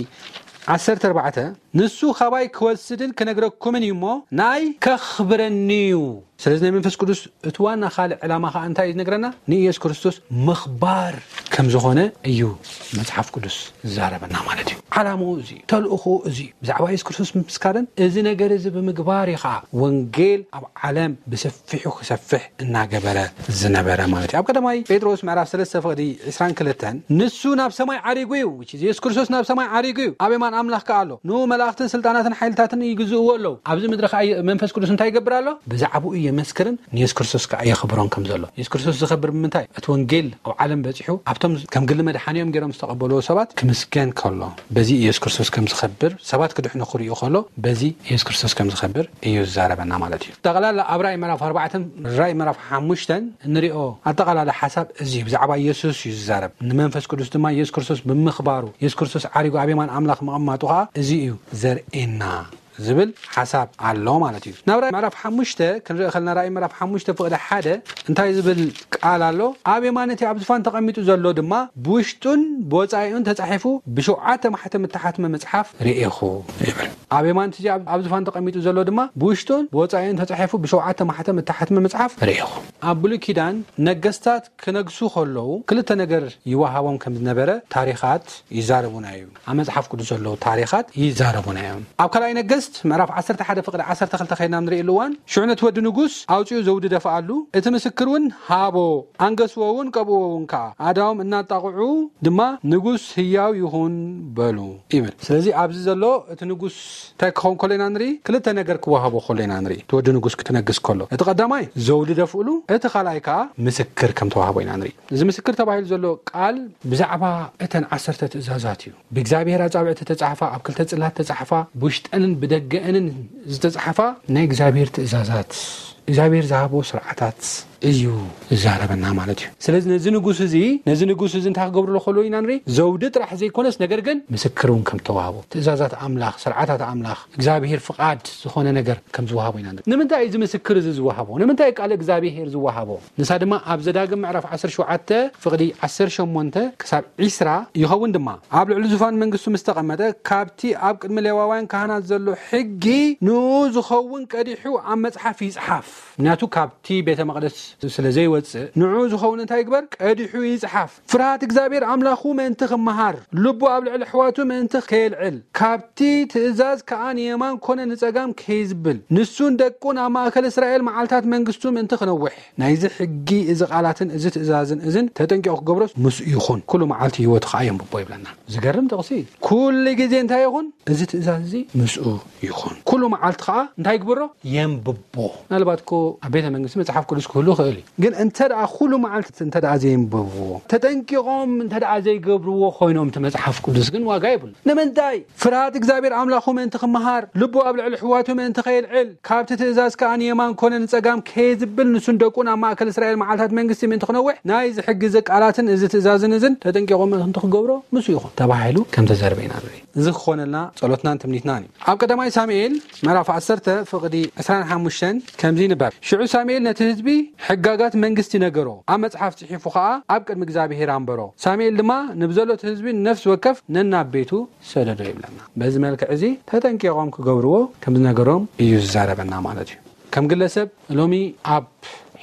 ዓሰርተ ኣርባዕተ፣ ንሱ ካባይ ክወስድን ክነግረኩምን እዩ እሞ ናይ ከኽብረኒ እዩ። ስለዚ ናይ መንፈስ ቅዱስ እቲ ዋና ካልእ ዕላማ ኸዓ እንታይ እዩ ዝነግረና? ንኢየሱስ ክርስቶስ ምኽባር ከም ዝኾነ እዩ መጽሓፍ ቅዱስ ዝዛረበና ማለት እዩ። ዓላምኡ እዚ እዩ፣ ተልእኾኡ እዚ እዩ። ብዛዕባ የሱስ ክርስቶስ ምምስካርን እዚ ነገር እዚ ብምግባር እዩ ኸዓ ወንጌል ኣብ ዓለም ብሰፊሑ ክሰፍሕ እናገበረ ዝነበረ ማለት እዩ። ኣብ ቀዳማይ ጴጥሮስ ምዕራፍ ሰለስተ ፍቕዲ ዕስራን ክልተን ንሱ ናብ ሰማይ ዓሪጉ እዩ፣ which is የሱስ ክርስቶስ ናብ ሰማይ ዓሪጉ እዩ፣ ኣብ የማን ኣምላኽ ከኣ ኣሎ። ንኡ መላእኽትን ስልጣናትን ሓይልታትን ይግዝእዎ ኣለዉ። ኣብዚ ምድሪ ከኣ መንፈስ ቅዱስ እንታይ ይገብር ኣሎ? ብዛዕባኡ የመስክርን ንየሱስ ክርስቶስ ከዓ የኽብሮን ከም ዘሎ። የሱስ ክርስቶስ ዝኸብር ብምንታይ? እቲ ወንጌል ኣብ ዓለም በጺሑ ኣብቶም ከም ግሊ መድሓኒኦም ገይሮም ዝተቐበልዎ ሰባት ክምስገን ከሎ፣ በዚ የሱስ ክርስቶስ ከም ዝኸብር፣ ሰባት ክድሕኑ ክርእዩ ከሎ በዚ የሱስ ክርስቶስ ከም ዝኸብር እዩ ዝዛረበና ማለት እዩ። ጠቕላላ ኣብ ራእይ ምዕራፍ ኣርባዕተን ራእይ ምዕራፍ ሓሙሽተን እንሪኦ ኣጠቓላላ ሓሳብ እዚ እዩ። ብዛዕባ የሱስ እዩ ዝዛረብ። ንመንፈስ ቅዱስ ድማ የሱስ ክርስቶስ ብምኽባሩ፣ የሱስ ክርስቶስ ዓሪጉ ኣብ የማን ኣምላኽ ምቕማጡ ከዓ እዚ እዩ ዘርእየና ዝብል ሓሳብ ኣሎ ማለት እዩ። ናብ ራእይ ምዕራፍ ሓሙሽተ ክንርኢ ከለና፣ ራእይ ምዕራፍ ሓሙሽተ ፍቕዲ ሓደ እንታይ ዝብል ቃል ኣሎ? ኣብ የማን እቲ ኣብ ዝፋን ተቐሚጡ ዘሎ ድማ ብውሽጡን ብወጻኢኡን ተጻሒፉ ብሸውዓተ ማሕተም እተሓትመ መጽሓፍ ርኤኹ ይብል። ኣብ የማን እቲ ኣብ ኣብ ዝፋን ተቐሚጡ ዘሎ ድማ ብውሽጡን ብወጻኢኡን ተጻሒፉ ብሸውዓተ ማሕተም እተሓትመ መጽሓፍ ርኤኹ። ኣብ ብሉይ ኪዳን ነገስታት ክነግሱ ከለዉ ክልተ ነገር ይወሃቦም ከም ዝነበረ ታሪኻት ይዛረቡና እዩ። ኣብ መጽሓፍ ቅዱስ ዘለዉ ታሪኻት ይዛረቡና እዮም። ኣብ ካልኣይ ነገስት ምዕራፍ ዓሰርተ ሓደ ፍቕዲ ዓሰርተ ክልተ ከይድና ንርእየሉ እዋን፣ ሽዑ ነቲ ወዲ ንጉስ ኣውጺኡ ዘውዲ ደፍኣሉ፣ እቲ ምስክር እውን ሃቦ፣ ኣንገስዎ እውን ቀብእዎ እውን ከኣ፣ ኣእዳዎም እናጣቕዑ ድማ ንጉስ ህያው ይኹን በሉ ይብል። ስለዚ ኣብዚ ዘሎ እቲ ንጉስ እንታይ ክኸውን ከሎ ኢና ንርኢ? ክልተ ነገር ክወሃቦ ከሎ ኢና ንርኢ። እቲ ወዲ ንጉስ ክትነግስ ከሎ፣ እቲ ቀዳማይ ዘውዲ ደፍእሉ፣ እቲ ካልኣይ ከኣ ምስክር ከም ተዋህቦ ኢና ንርኢ። እዚ ምስክር ተባሂሉ ዘሎ ቃል ብዛዕባ እተን ዓሰርተ ትእዛዛት እዩ። ብእግዚኣብሔር ኣጻብዕ ዝተጻሕፋ፣ ኣብ ክልተ ጽላት ተጻሕፋ፣ ብውሽጠንን ብደገአንን ዝተጻሕፋ ናይ እግዚኣብሔር ትእዛዛት፣ እግዚኣብሔር ዝሃቦ ስርዓታት እዩ ዝዛረበና ማለት እዩ። ስለዚ ነዚ ንጉስ እዚ፣ ነዚ ንጉስ እዚ እንታይ ክገብርሉ ከሎ ኢና ንርኢ? ዘውዲ ጥራሕ ዘይኮነስ፣ ነገር ግን ምስክር እውን ከም ተዋህቦ፣ ትእዛዛት ኣምላኽ፣ ስርዓታት ኣምላኽ፣ እግዚኣብሔር ፍቓድ ዝኾነ ነገር ከም ዝወሃቦ ኢና ንርኢ። ንምንታይ እዚ ምስክር እዚ ዝወሃቦ? ንምንታይ ቃል እግዚኣብሔር ዝወሃቦ? ንሳ ድማ ኣብ ዘዳግም ምዕራፍ ዓሰርተ ሸውዓተ ፍቕዲ ዓሰርተ ሸሞንተ ክሳብ ዒስራ ይኸውን ድማ፣ ኣብ ልዕሊ ዙፋን መንግስቱ ምስ ተቐመጠ፣ ካብቲ ኣብ ቅድሚ ሌዋውያን ካህናት ዘሎ ሕጊ ንኡ ዝኸውን ቀዲሑ ኣብ መጽሓፍ ይጽሓፍ። ምክንያቱ ካብቲ ቤተ መቕደስ ስለ ዘይወጽእ፣ ንኡ ዝኸውን እንታይ ይግበር? ቀዲሑ ይጽሓፍ። ፍርሃት እግዚኣብሔር ኣምላኹ ምእንቲ ክመሃር፣ ልቡ ኣብ ልዕሊ ኣሕዋቱ ምእንቲ ከየልዕል፣ ካብቲ ትእዛዝ ከኣ ንየማን ኮነ ንጸጋም ከይዝብል፣ ንሱን ደቁን ኣብ ማእከል እስራኤል መዓልታት መንግስቱ ምእንቲ ክነውሕ፣ ናይዚ ሕጊ እዚ ቃላትን እዚ ትእዛዝን እዝን ተጠንቂቑ ክገብሮስ ምስኡ ይኹን፣ ኩሉ መዓልቲ ህይወቱ ከኣ የንብቦ ይብለና። ዝገርም ጥቕሲ እዩ። ኩሉ ግዜ እንታይ ይኹን? እዚ ትእዛዝ እዚ ምስኡ ይኹን። ኩሉ መዓልቲ ከኣ እንታይ ይግበሮ? የንብቦ። ምናልባት እኮ ኣብ ቤተ መንግስቲ መጽሓፍ ቅዱስ ክህሉ ይኽእል እዩ። ግን እንተ ደኣ ኩሉ መዓልቲ እንተ ደኣ ዘየንብብዎ፣ ተጠንቂቖም እንተ ደኣ ዘይገብርዎ ኮይኖም፣ እቲ መጽሓፍ ቅዱስ ግን ዋጋ የብሉ። ንምንታይ? ፍርሃት እግዚኣብሔር ኣምላኹ ምእንቲ ክመሃር፣ ልቡ ኣብ ልዕሊ ኣሕዋቱ ምእንቲ ከየልዕል፣ ካብቲ ትእዛዝ ከኣ ንየማን ኮነ ንጸጋም ከየዝብል፣ ንሱን ደቁን ኣብ ማእከል እስራኤል መዓልታት መንግስቲ ምእንቲ ክነውሕ፣ ናይዚ ሕጊ እዚ ቃላትን እዚ ትእዛዝን እዝን ተጠንቂቖም ምእንቲ ክገብሮ ምስኡ ይኹን ተባሂሉ ከም ተዘርበ ኢና ንርኢ። እዚ ክኾነልና ጸሎትናን ትምኒትናን እዩ። ኣብ ቀዳማይ ሳሙኤል ምዕራፍ ዓሰርተ ፍቕዲ ዕስራን ሓሙሽተን ከምዚ ይንበብ፣ ሽዑ ሳሙኤል ነቲ ህዝቢ ሕጋጋት መንግስቲ ነገሮ፣ ኣብ መጽሓፍ ጽሒፉ ኸኣ ኣብ ቅድሚ እግዚኣብሔር ኣንበሮ። ሳሙኤል ድማ ንብዘሎ እቲ ህዝቢ ንነፍሲ ወከፍ ነናብ ቤቱ ሰደዶ ይብለና። በዚ መልክዕ እዚ ተጠንቂቖም ክገብርዎ ከም ዝነገሮም እዩ ዝዛረበና ማለት እዩ። ከም ግለሰብ ሎሚ ኣብ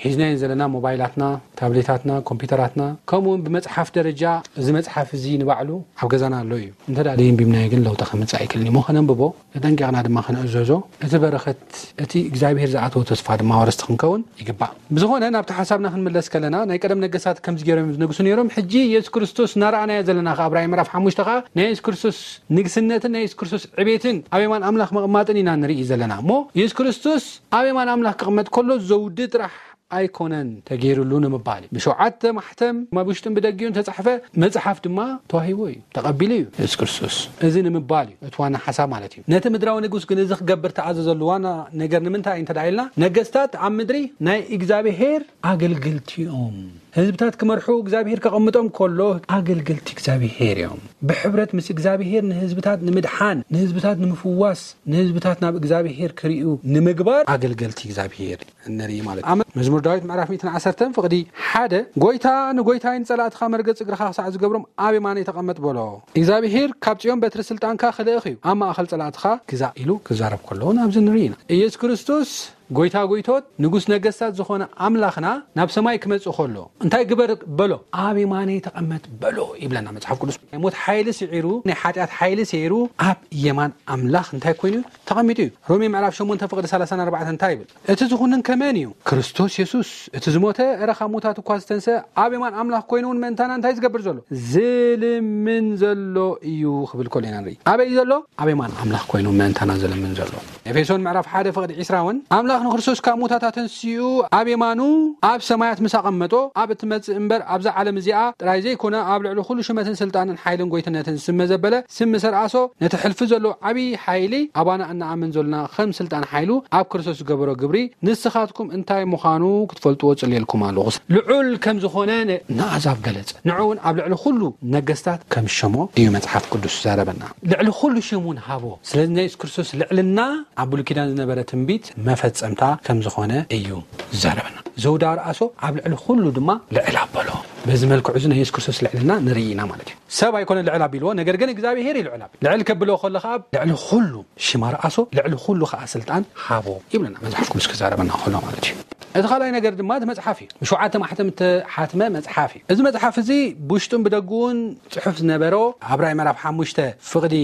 ሒዝናየን ዘለና ሞባይላትና፣ ታብሌታትና፣ ኮምፒውተራትና፣ ከምኡ እውን ብመጽሓፍ ደረጃ እዚ መጽሓፍ እዚ ንባዕሉ ኣብ ገዛና ኣሎ እዩ። እንተ ደኣ ደየንቢብናዮ ግን ለውጢ ከምጽእ ኣይክእልን እዩ። እሞ ከነንብቦ፣ ተጠንቂቕና ድማ ከነእዘዞ፣ እቲ በረኸት፣ እቲ እግዚኣብሔር ዝኣተዎ ተስፋ ድማ ወረስቲ ክንከውን ይግባእ። ብዝኾነ፣ ናብቲ ሓሳብና ክንምለስ ከለና፣ ናይ ቀደም ነገስታት ከምዚ ገይሮም ዝነግሱ ነይሮም። ሕጂ የሱስ ክርስቶስ እናረኣናዮ ዘለና ከኣ፣ ኣብ ራእይ ምዕራፍ ሓሙሽተ ከኣ ናይ የሱስ ክርስቶስ ንግስነትን ናይ የሱስ ክርስቶስ ዕቤትን ኣብ የማን ኣምላኽ ምቕማጥን ኢና ንርኢ ዘለና። እሞ የሱስ ክርስቶስ ኣብ የማን ኣምላኽ ክቕመጥ ከሎ ዘውዲ ጥራሕ ኣይኮነን ተገይሩሉ ንምባል እዩ። ብሸውዓተ ማሕተም ኣብ ውሽጥን ብደጊኡን ተጻሕፈ መጽሓፍ ድማ ተዋሂቦ እዩ፣ ተቐቢሉ እዩ የሱስ ክርስቶስ። እዚ ንምባል እዩ እቲ ዋና ሓሳብ ማለት እዩ። ነቲ ምድራዊ ንጉስ ግን እዚ ክገብር ተኣዘዘሉ ዋና ነገር ንምንታይ እዩ እንተ ደኣ ኢልና፣ ነገስታት ኣብ ምድሪ ናይ እግዚኣብሔር ኣገልገልቲ እዮም። ህዝብታት ክመርሑ እግዚኣብሔር ከቐምጦም ከሎ ኣገልገልቲ እግዚኣብሔር እዮም። ብሕብረት ምስ እግዚኣብሔር ንህዝብታት ንምድሓን፣ ንህዝብታት ንምፍዋስ፣ ንህዝብታት ናብ እግዚኣብሔር ክርእዩ ንምግባር ኣገልገልቲ እግዚኣብሔር ንርኢ ማለት እዩ። ኣብ መዝሙር ዳዊት ምዕራፍ ሚእትን ዓሰርተን ፍቕዲ ሓደ፣ "ጎይታ ንጎይታይ ንጸላእትኻ መርገጽ እግርኻ ክሳዕ ዝገብሮም ኣብ የማነይ ተቐመጥ" በሎ። እግዚኣብሔር ካብ ጽዮን በትሪ ስልጣንካ ክልእኽ እዩ፣ ኣብ ማእከል ጸላእትኻ ግዛእ ኢሉ ክዛረብ ከሎ እውን ኣብዚ ንርኢ ኢና። ኢየሱስ ክርስቶስ ጎይታ ጎይቶት፣ ንጉስ ነገስታት ዝኾነ ኣምላኽና ናብ ሰማይ ክመጽእ ከሎ እንታይ ግበር በሎ? ኣብ የማነይ ተቐመጥ በሎ ይብለና መጽሓፍ ቅዱስ። ናይ ሞት ሓይሊ ስዒሩ፣ ናይ ሓጢኣት ሓይሊ ስዒሩ ኣብ የማን ኣምላኽ እንታይ ኮይኑ እዩ? ተቐሚጡ እዩ። ሮሜ ምዕራፍ ሸሞንተ ፍቕዲ ሰላሳን ኣርባዕተን እንታይ ይብል? እቲ ዝኹንን ከመን እዩ? ክርስቶስ የሱስ፣ እቲ ዝሞተ፣ እረ ካብ ሙታት እኳ ዝተንሰ፣ ኣብ የማን ኣምላኽ ኮይኑ እውን ምእንታና እንታይ ዝገብር ዘሎ? ዝልምን ዘሎ እዩ ክብል ከሎ ኢና ንርኢ። ኣበይ እዩ ዘሎ? ኣብ የማን ኣምላኽ ኮይኑ ምእንታና ዝልምን ዘሎ። ኤፌሶን ምዕራፍ ሓደ ፍቕዲ ዕስራ እውን ኣምላኽ ኣምላኽ ንክርስቶስ ካብ ሙታታ ተንሲኡ ኣብ የማኑ ኣብ ሰማያት ምስ ኣቐመጦ፣ ኣብ እትመጽእ እምበር ኣብዛ ዓለም እዚኣ ጥራይ ዘይኮነ፣ ኣብ ልዕሊ ኩሉ ሽመትን ስልጣንን ሓይልን ጎይትነትን ስመ ዘበለ፣ ስም ምስ ኣርኣሶ፣ ነቲ ሕልፊ ዘሎ ዓብዪ ሓይሊ፣ ኣባና እንኣምን ዘሎና ከም ስልጣን ሓይሉ ኣብ ክርስቶስ ዝገበሮ ግብሪ ንስኻትኩም እንታይ ምዃኑ ክትፈልጥዎ ጽልየልኩም ኣለኹ። ልዑል ከም ዝኾነ ን-፣ ንኣሕዛብ ገለጸ። ንዑ እውን ኣብ ልዕሊ ኩሉ ነገስታት ከም ሸሞ እዩ መጽሓፍ ቅዱስ ዛረበና። ልዕሊ ኩሉ ሽም እውን ሃቦ። ስለዚ ናይ የሱስ ክርስቶስ ልዕልና ኣብ ብሉይ ኪዳን ዝነበረ ትንቢት መፈጸምታ ከም ዝኾነ እዩ ዝዛረበና። ዘውዲ ኣርኣሶ ኣብ ልዕሊ ኩሉ ድማ ልዕል ኣበሎ። በዚ መልክዑ እዚ ናይ የሱስ ክርስቶስ ልዕልና ንርኢ ኢና ማለት እዩ። ሰብ ኣይኮነ ልዕል ኣቢልዎ፣ ነገር ግን እግዚኣብሄር እዩ ልዕል ኣቢሉ። ልዕል ከብሎ ከሎ ከዓ ልዕሊ ኩሉ ሽም ኣርኣሶ፣ ልዕሊ ኩሉ ከዓ ስልጣን ሃቦ ይብለና መጽሓፍ ቅዱስ ክዛረበና ከሎ ማለት እዩ። እቲ ካልኣይ ነገር ድማ እቲ መጽሓፍ እዩ። ብሸውዓተ ማሕተም እተሓትመ መጽሓፍ እዩ። እዚ መጽሓፍ እዚ ብውሽጡን ብደግኡን ጽሑፍ ዝነበሮ፣ ኣብ ራእይ ምዕራፍ ሓሙሽተ ፍቕዲ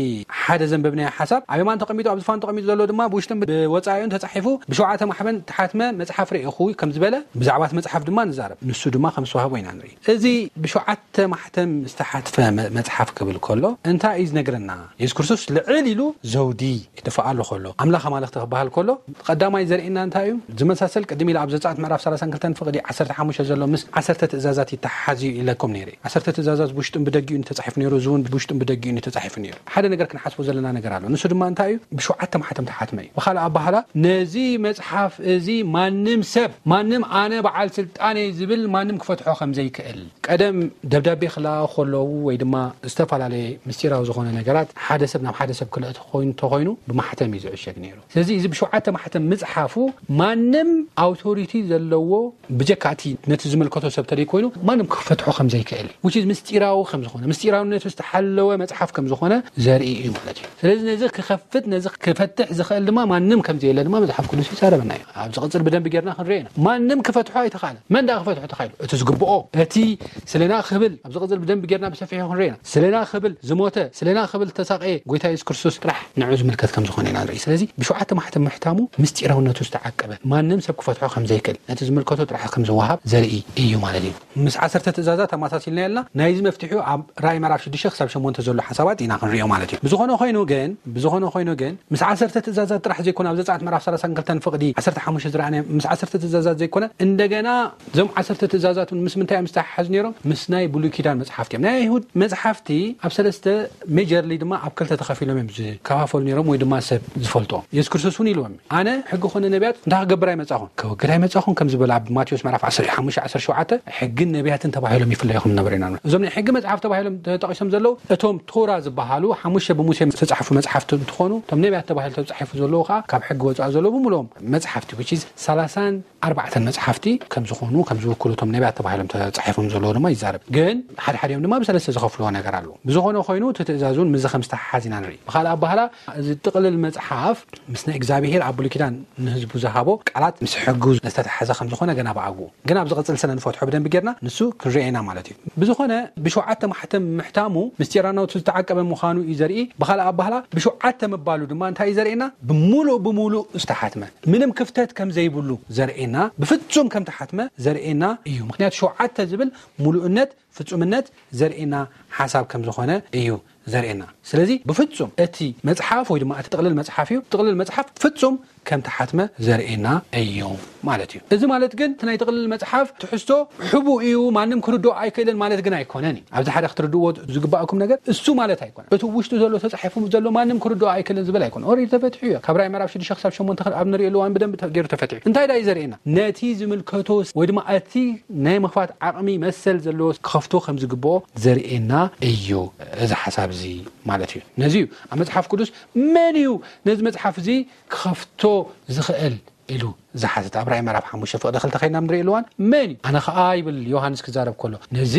ሓደ ዘንበብናዮ ሓሳብ ኣብ የማን ተቐሚጡ፣ ኣብ ዝፋን ተቐሚጡ ዘሎ ድማ ብውሽጥን ብወጻኢኡን ተጻሒፉ ብሸውዓተ ማሕተም እተሓትመ መጽሓፍ ርኢኹ ከም ዝበለ ብዛዕባ እቲ መጽሓፍ ድማ ንዛረብ። ንሱ ድማ ከም ዝተዋህቦ ኢና ንርኢ። እዚ ብሸውዓተ ማሕተም ዝተሓትፈ መ-፣ መጽሓፍ ክብል ከሎ እንታይ እዩ ዝነግረና? የሱስ ክርስቶስ ልዕል ኢሉ ዘውዲ ይድፍኣሉ ከሎ፣ ኣምላኽ ኣማልኽቲ ክበሃል ከሎ፣ ቀዳማይ ዘርእየና እንታይ እዩ? ዝመሳሰል ቅድም ኢሉ ኣብ ዘጸኣት ምዕራፍ ሰላሳን ክልተን ፍቕዲ ዓሰርተ ሓሙሽተ ዘሎ ምስ ዓሰርተ ትእዛዛት ይተሓሓዝ እዩ ኢለኩም ነይረ። ዓሰርተ ትእዛዛት ብውሽጡን ብደጊኡን ተጻሒፉ ነይሩ፣ እዚ እውን ብውሽጡን ብደጊኡን እዩ ተጻሒፉ ነይሩ። ሓደ ነገር ክንሓስቦ ዘለና ነገር ኣሎ። ንሱ ድማ እንታይ እዩ? ብሸውዓተ ማሕተም ተሓትመ እዩ። ብኻልእ ኣባህላ፣ ነዚ መጽሓፍ እዚ ማንም ሰብ፣ ማንም ኣነ በዓል ስልጣን እየ ዝብል ማንም ክፈትሖ ከም ዘይክእል፣ ቀደም ደብዳቤ ክለኣኹ ከለዉ ወይ ድማ ዝተፈላለየ ምስጢራዊ ዝኾነ ነገራት ሓደ ሰብ ናብ ሓደ ሰብ ክልእኽ ኮይኑ፣ እንተኾይኑ ብማሕተም እዩ ዝዕሸግ ነይሩ። ስለዚ እዚ ብሸውዓተ ማሕተም ምጽሓፉ ማንም ኣውቶሪቲ ዘለዎ፣ ብጀካ እቲ ነቲ ዝምልከቶ ሰብ ተደይ ኮይኑ፣ ማንም ክፈትሖ ከም ዘይክእል፣ which is ምስጢራዊ ከም ዝኾነ፣ ምስጢራውነቱ ዝተሓለወ መጽሓፍ ከም ዝኾነ ዘርኢ እዩ ማለት እዩ። ስለዚ ነዚ ክኸፍት፣ ነዚ ክፈትሕ ዝኽእል ድማ ማንም ከም ዘየለ ድማ መጽሓፍ ቅዱስ ይዛረበና እዩ። ኣብ ዝቕጽል ብደንብ ጌርና ክንሪኦ ኢና። ማንም ክፈትሖ ኣይተኻእለ። መን ደኣ ክፈትሖ ተኻኢሉ? እቲ ዝግብኦ፣ እቲ ስለና ክብል፣ ኣብ ዝቕጽል ብደንብ ጌርና ብሰፊሑ ክንሪኦ ኢና። ስለና ክብል ዝሞተ፣ ስለና ክብል ዝተሳቐየ ጎይታ የሱስ ክርስቶስ ጥራሕ ንዑ ዝምልከት ከም ዝኾነ ኢና ንርኢ። ስለዚ ብሸውዓተ ማሕተም ምሕታሙ ምስጢራውነቱ ዝተዓቀበ፣ ማንም ሰብ ክፈትሖ ከም ዘይክእል፣ ነቲ ዝምልከቶ ጥራሕ ከም ዝወሃብ ዘርኢ እዩ ማለት እዩ። ምስ ዓሰርተ ትእዛዛት ኣመሳሲልና የልና፣ ናይዚ መፍትሒኡ ኣብ ራእይ ምዕራፍ ሽዱሽተ ክሳብ ሸሞንተ ዘሎ ሓሳባት ኢና ክንሪኦ ማለት እዩ። ብዝኾነ ኮይኑ ግን፣ ብዝኾነ ኮይኑ ግን፣ ምስ ዓሰርተ ትእዛዛት ጥራሕ ዘይኮነ፣ ኣብ ዘጸኣት ምዕራፍ ሰላሳን ክልተን ፍቕዲ ዓሰርተ ሓሙሽተ ዝረኣናዮ፣ ምስ ዓሰርተ ትእዛዛት ዘይኮነ፣ እንደገና እዞም ዓሰርተ ትእዛዛት እውን ምስ ምንታይ እዮም ዝተሓሓዙ ነይሮም? ምስ ናይ ብሉይ ኪዳን መጽሓፍቲ እዮም። ናይ ኣይሁድ መጽሓፍቲ ኣብ ሰለስተ፣ ሜጀርሊ ድማ ኣብ ክልተ ተኸፊሎም እዮም ዝከፋፈሉ ነይሮም፣ ወይ ድማ ሰብ ዝፈልጦም። የሱስ ክርስቶስ እውን ኢልዎም፣ ኣነ ሕጊ ኮነ ነቢያት እንታይ ክገብር ኣይመጻኹን? ከወግድ ኣይመጻኹን ከም ዝበለ ኣብ ማቴዎስ ምዕራፍ ዓሰርተ ሓሙሽተ ዓሰርተ ሸውዓተ ሕግን ነቢያትን ተባሂሎም ይፍለዩ ከም ዝነበሩ ኢና ንርኢ። እዞም ናይ ሕጊ መጽሓፍ ተባሂሎም ተጠቒሶም ዘለዉ እቶም ቶራ ዝበሃሉ ሓሙሽተ ብሙሴ ዝተጻሕፉ መጽሓፍቲ እንትኾኑ፣ እቶም ነቢያት ተባሂሎም ተጻሒፉ ዘለዉ ከዓ ካብ ሕጊ ወጻኢ ዘለዉ ብምልኦም መጽሓፍቲ፣ which is ሰላሳን ኣርባዕተን መጽሓፍቲ ከም ዝኾኑ፣ ከም ዝውክሉ እቶም ነቢያት ተባሂሎም ተጻሒፎም ዘለዉ ድማ ይዛረብ። ግን ሓደ ሓዲኦም ድማ ብሰለስተ ዝኸፍልዎ ነገር ኣለዉ። ብዝኾነ ኮይኑ እቲ ትእዛዝ እውን ምስዚ ከም ዝተሓሓዝ ኢና ንርኢ። ብኻልእ ኣባህላ እዚ ጥቕልል መጽሓፍ ምስ ናይ እግዚኣብሄር ኣብ ብሉይ ኪዳን ንህዝቡ ዝሃቦ ቃላት ምስ ሕጉ ዝተተሓዘ ከም ዝኾነ ገና ብኣግኡ። ግን ኣብ ዝቕጽል ስለ ንፈትሖ ብደንቢ ጌርና ንሱ ክንሪኦ ኢና ማለት እዩ። ብዝኾነ ብሸውዓተ ማሕተም ምሕታሙ ምስጢራውነቱ ዝተዓቀበ ምዃኑ እዩ ዘርኢ። ብኻልእ ኣባህላ ብሸውዓተ ምባሉ ድማ እንታይ እዩ ዘርእየና? ብምሉእ ብምሉእ ዝተሓትመ፣ ምንም ክፍተት ከም ዘይብሉ ዘርእየና፣ ብፍጹም ከም ተሓትመ ዘርእየና እዩ። ምኽንያቱ ሸውዓተ ዝብል ምሉእነት፣ ፍጹምነት ዘርእየና ሓሳብ ከም ዝኾነ እዩ ዘርእየና። ስለዚ ብፍጹም እቲ መጽሓፍ ወይ ድማ እቲ ጥቕልል መጽሓፍ እዩ። ጥቕልል መጽሓፍ ፍጹም ከም ተሓትመ ዘርእየና እዩ ማለት እዩ። እዚ ማለት ግን እቲ ናይ ጥቕልል መጽሓፍ ትሕዝቶ ሕቡእ እዩ፣ ማንም ክርድኦ ኣይክእልን ማለት ግን ኣይኮነን እዩ። ኣብዚ ሓደ ክትርድእዎ ዝግባእኩም ነገር እሱ ማለት ኣይኮነን። እቲ ውሽጡ ዘሎ ተጻሒፉ ዘሎ ማንም ክርድኦ ኣይክእልን ዝብል ኣይኮነን። ኦልሬዲ ተፈቲሑ እዩ። ካብ ራእይ ምዕራፍ ሽዱሽተ ክሳብ ሸሞንተ ኣብ ንርእየሉ እዋን ብደንቢ ተ-፣ ገይሩ ተፈቲሑ። እንታይ ደኣ እዩ ዘርእየና? ነቲ ዝምልከቶ ወይ ድማ እቲ ናይ ምኽፋት ዓቕሚ መሰል ዘለዎ ክኸፍቶ ከም ዝግብኦ ዘርእየና እዩ እዚ ሓሳብ እዚ ማለት እዩ። ነዚ እዩ ኣብ መጽሓፍ ቅዱስ መን እዩ ነዚ መጽሓፍ እዚ ክኸፍቶ ዝኽእል ኢሉ ዝሓተተ። ኣብ ራእይ ምዕራፍ ሓሙሽተ ፍቕዲ ክልተ ከይድና ኣብ ንርእየሉ እዋን መን እዩ? ኣነ ኸኣ ይብል ዮሃንስ ክዛረብ ከሎ፣ ነዚ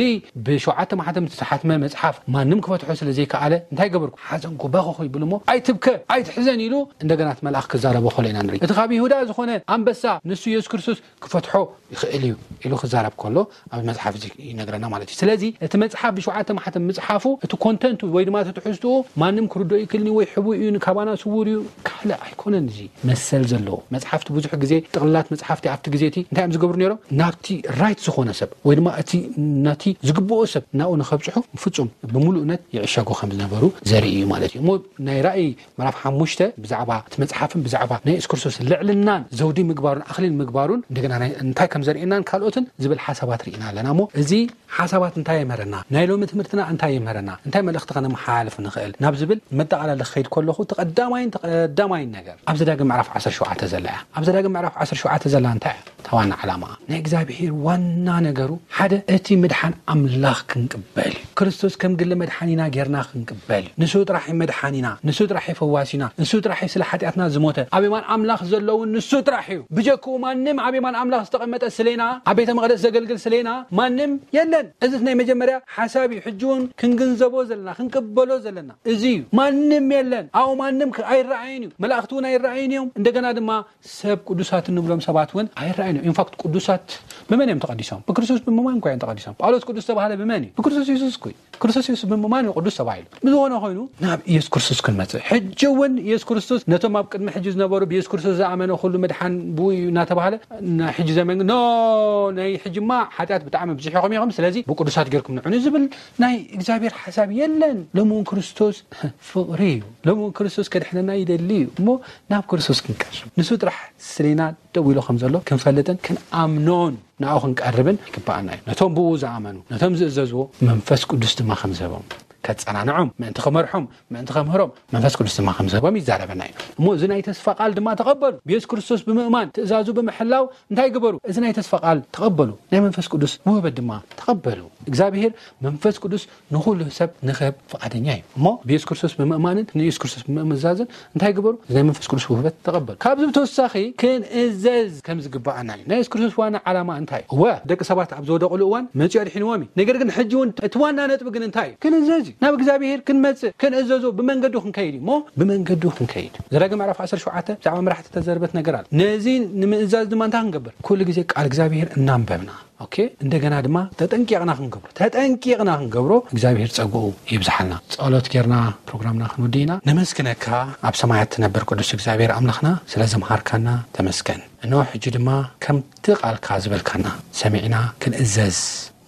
ብሸውዓተ ማሕተም ዝተሓትመ መጽሓፍ ማንም ክፈትሖ ስለ ዘይከኣለ እንታይ ገበርኩ? ሓዘንኩ፣ በኸኹ ይብል እሞ፣ ኣይትብከ፣ ኣይትሕዘን ኢሉ እንደገና እቲ መልኣኽ ክዛረቦ ከሎ ኢና ንርኢ። እቲ ካብ ይሁዳ ዝኾነ ኣንበሳ ንሱ የሱስ ክርስቶስ ክፈትሖ ይኽእል እዩ ኢሉ ክዛረብ ከሎ ኣብዚ መጽሓፍ እዚ ይነግረና ማለት እዩ። ስለዚ እቲ መጽሓፍ ብሸውዓተ ማሕተም ምጽሓፉ እቲ ኮንተንቱ ወይ ድማ እቲ ትሕዝትኡ ማንም ክርድኦ ይክእልን እዩ ወይ ሕቡእ እዩ፣ ንካባና ስዉር እዩ፣ ካልእ ኣይኮነን። እዚ መሰል ዘለዎ መጽሓፍቲ ብዙሕ ግዜ ጥቕልላት መጽሓፍቲ ኣብቲ ግዜ እቲ እንታይ እዮም ዝገብሩ ነይሮም? ናብቲ ራይት ዝኾነ ሰብ ወይ ድማ እቲ ነቲ ዝግብኦ ሰብ ናብኡ ንኸብጽሑ ፍጹም ብምሉእነት ይዕሸጉ ከም ዝነበሩ ዘርኢ እዩ ማለት እዩ። እሞ ናይ ራእይ ምዕራፍ ሓሙሽተ ብዛዕባ እቲ መጽሓፍን ብዛዕባ ናይ የሱስ ክርስቶስ ልዕልናን ዘውዲ ምግባሩን ኣኽሊል ምግባሩን እንደገና እንታይ ከም ዘርእየናን ካልኦትን ዝብል ሓሳባት ርኢና ኣለና። እሞ እዚ ሓሳባት እንታይ የምህረና? ናይ ሎሚ ትምህርትና እንታይ የምህረና? እንታይ መልእኽቲ ከነመሓላልፍ ንኽእል? ናብ ዝብል መጠቓለሊ ክኸይድ ከለኹ፣ እቲ ቀዳማይን ተቐዳማይን ነገር ኣብዚ ዳግም ምዕራፍ ዓሰርተ ሸውዓተ ዘላ እያ። ኣብዚ ዳግም ምዕራፍ ዓሰርተ ሸውዓተ ዘላ እንታይ እያ? እታ ዋና ዓላማ ናይ እግዚኣብሔር ዋና ነገሩ ሓደ እቲ ምድሓን ኣምላኽ ክንቅበል እዩ። ክርስቶስ ከም ግሊ መድሓኒና ጌርና ክንቅበል እዩ። ንሱ ጥራሕ እዩ መድሓኒና፣ ንሱ ጥራሕ እዩ ፈዋሲና፣ ንሱ ጥራሕ እዩ ስለ ሓጢኣትና ዝሞተ። ኣብ የማን ኣምላኽ ዘለውን ንሱ ጥራሕ እዩ። ብጀክኡ ማንም ኣብ የማን ኣምላኽ ዝተቐመጠ ስሌና፣ ኣብ ቤተ መቕደስ ዘገልግል ስሌና ማንም የለን። እዚ ናይ መጀመርያ ሓሳብ እዩ። ሕጂ እውን ክንግንዘቦ ዘለና፣ ክንቅበሎ ዘለና እዚ እዩ። ማንም የለን። ኣብኡ ማንም ከ-፣ ኣይረኣይን እዩ። መላእኽቲ እውን ኣይረኣይን እዮም። እንደገና ድማ ሰብ ቅዱሳት እንብሎም ሰባት እውን ኣይረኣይን እዮም። ኢንፋክት ቅዱሳት ብመን እዮም ተቐዲሶም? ብክርስቶስ ብምእማን እኮ እዮም ተቐዲሶም። ጳውሎስ ቅዱስ ተባህለ ብመን እዩ? ብክርስቶስ የሱስ እኮ እዩ። ክርስቶስ የሱስ ብምእማን እዩ ቅዱስ ተባሂሉ። ብዝኾነ ኮይኑ ናብ ኢየሱስ ክርስቶስ ክንመጽእ። ሕጂ እውን ኢየሱስ ክርስቶስ ነቶም ኣብ ቅድሚ ሕጂ ዝነበሩ ብኢየሱስ ክርስቶስ ዝኣመነ ኩሉ ምድሓን ብኡ እዩ እናተባህለ ናይ ሕጂ ዘመን ኖ ናይ ሕጂማ ሓጢኣት ብጣዕሚ ብዙሕ ኢኹም ኢኹም፣ ስለዚ ብቅዱሳት ጌርኩም ንዕኑ ዝብል ናይ እግዚኣብሔር ሓሳብ የለን። ሎሚ እውን ክርስቶስ ፍቕሪ እዩ። ሎሚ እውን ክርስቶስ ከድሕነና ይደሊ እዩ። እሞ ናብ ክርስቶስ ክንቀርብ ንሱ ጥራሕ ስሌና ደው ኢሉ ከም ዘሎ ክንፈልጥን ክንኣምኖን ንኣኡ ክንቀርብን ይግባኣና እዩ። ነቶም ብኡ ዝኣመኑ፣ ነቶም ዝእዘዝዎ መንፈስ ቅዱስ ድማ ከም ዝህቦም ከጸናንዖም፣ ምእንቲ ክመርሖም፣ ምእንቲ ከምህሮም መንፈስ ቅዱስ ድማ ከም ዝህቦም ይዛረበና እዩ። እሞ እዚ ናይ ተስፋ ቃል ድማ ተቐበሉ። ብየሱስ ክርስቶስ ብምእማን ትእዛዙ ብምሕላው እንታይ ግበሩ? እዚ ናይ ተስፋ ቃል ተቐበሉ። ናይ መንፈስ ቅዱስ ውህበት ድማ ተቐበሉ። እግዚኣብሔር መንፈስ ቅዱስ ንኹሉ ሰብ ንኽህብ ፍቓደኛ እዩ። እሞ ብየሱስ ክርስቶስ ብምእማንን ንየሱስ ክርስቶስ ብምእዛዝን እንታይ ግበሩ? እዚ ናይ መንፈስ ቅዱስ ውህበት ተቐበሉ። ካብዚ ብተወሳኺ ክንእዘዝ ከም ዝግባኣና እዩ። ናይ የሱስ ክርስቶስ ዋና ዓላማ እንታይ እዩ? እወ፣ ደቂ ሰባት ኣብ ዝወደቑሉ እዋን መጺኡ ኣድሒንዎም እዩ። ነገር ግን ሕጂ እውን እቲ ዋና ነጥቢ ግን እንታይ እዩ? ክንእዘዝ እዩ። ናብ እግዚኣብሔር ክንመጽእ፣ ክንእዘዞ፣ ብመንገዱ ክንከይድ እዩ። እሞ ብመንገዱ ክንከይድ። ዘዳግም ምዕራፍ ዓሰርተ ሸውዓተ ብዛዕባ መራሕቲ ተዘርበት ነገር ኣሎ። ነዚ ንምእዛዝ ድማ እንታይ ክንገብር? ኩሉ ግዜ ቃል እግዚኣብሔር እናንበብና፣ ኦኬ፣ እንደገና ድማ ተጠንቂቕና ክንገብሮ፣ ተጠንቂቕና ክንገብሮ እግዚኣብሔር ጸግኡ ይብዝሓልና። ጸሎት ጌርና ፕሮግራምና ክንውድእ ኢና። ነመስግነካ ኣብ ሰማያት ትነብር ቅዱስ እግዚኣብሔር ኣምላኽና፣ ስለ ዘምሃርካና ተመስገን። እንሆ ሕጂ ድማ ከምቲ ቃልካ ዝበልካና ሰሚዕና ክንእዘዝ፣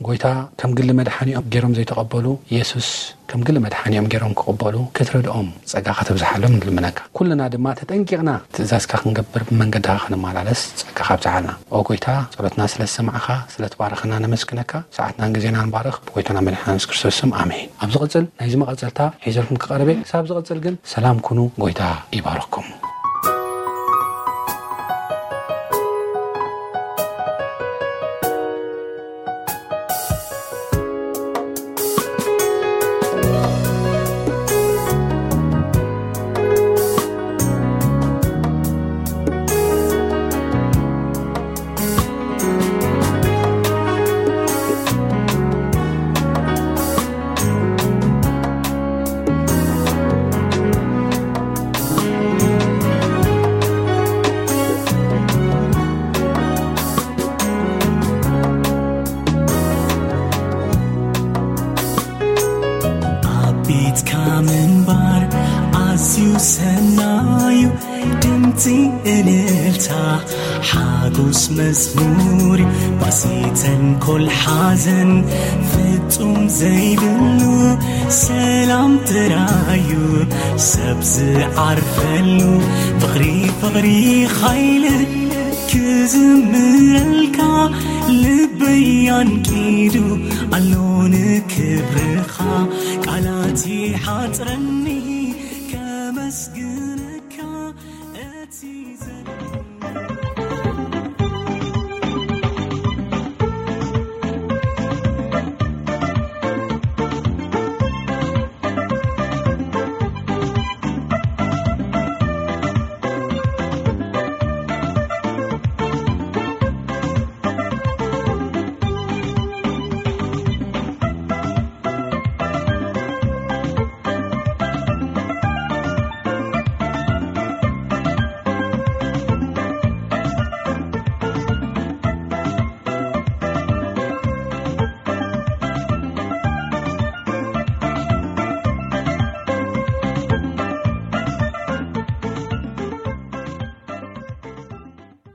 ጎይታ ከም ግሊ መድሓኒኦም ገይሮም ዘይተቐበሉ፣ የሱስ ከም ግሊ መድሓኒኦም ገይሮም ክቕበሉ ክትረድኦም ጸጋኻ ተብዝሓሎም ንልምነካ። ኩልና ድማ ተጠንቂቕና ትእዛዝካ ክንገብር ብመንገድኻ ክንመላለስ ጸጋኻ ኣብዝሓልና። ኦ ጎይታ፣ ጸሎትና ስለ ዝሰማዕኻ፣ ስለ ትባረኸና ነመስግነካ። ሰዓትናን ግዜናን ባርኽ፣ ብጎይታና መድሓኒና የሱስ ክርስቶስ ስም፣ ኣሜን። ኣብ ዝቕጽል ናይዚ መቐጸልታ ሒዘልኩም ክቐርብ እየ። ክሳብ ዝቕጽል ግን ሰላም ኩኑ፣ ጎይታ ይባርኽኩም። ኣብ ቤትካ ምንባር ኣዝዩ ሰናዩ፣ ድምፂ እልልታ ሓጎስ መዝሙር እዩ። ባሲ ተንኮል ሓዘን ፍጹም ዘይብሉ፣ ሰላም ጥራዩ ሰብ ዝዓርፈሉ። ፍቕሪ ፍቕሪ ኻይል ክዝምረልካ ልበይ ኣንቂዱ ኣሎ ንክብርኻ። ቃላት ይሓጽረኒ ከመስግን